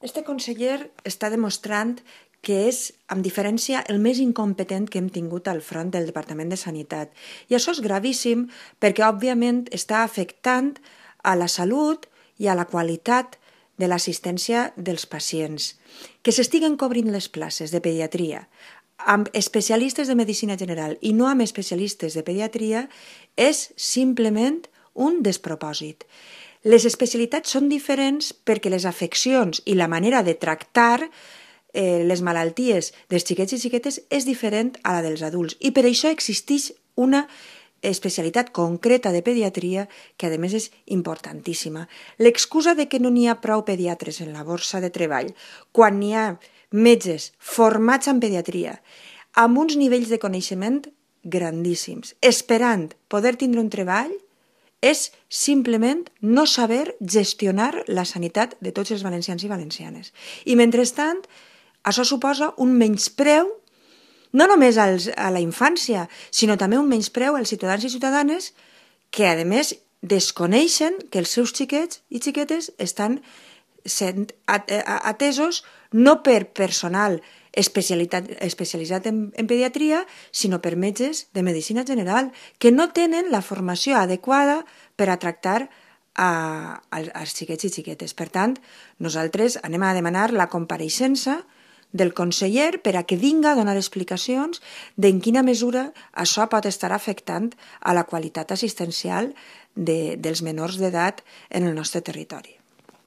Este conseller està demostrant que és, amb diferència, el més incompetent que hem tingut al front del Departament de Sanitat. I això és gravíssim perquè, òbviament, està afectant a la salut i a la qualitat de l'assistència dels pacients. Que s'estiguen cobrint les places de pediatria amb especialistes de medicina general i no amb especialistes de pediatria és simplement un despropòsit. Les especialitats són diferents perquè les afeccions i la manera de tractar les malalties dels xiquets i xiquetes és diferent a la dels adults i per això existeix una especialitat concreta de pediatria que a més és importantíssima. L'excusa de que no n'hi ha prou pediatres en la borsa de treball quan n'hi ha metges formats en pediatria amb uns nivells de coneixement grandíssims, esperant poder tindre un treball, és simplement no saber gestionar la sanitat de tots els valencians i valencianes. I mentrestant, això suposa un menyspreu no només a la infància, sinó també un menyspreu als ciutadans i ciutadanes que, a més, desconeixen que els seus xiquets i xiquetes estan sent atesos no per personal especialitzat en pediatria, sinó per metges de medicina general, que no tenen la formació adequada per a tractar als xiquets i xiquetes. Per tant, nosaltres anem a demanar la compareixença del conseller per a que vinga a donar explicacions d'en quina mesura això pot estar afectant a la qualitat assistencial dels menors d'edat en el nostre territori.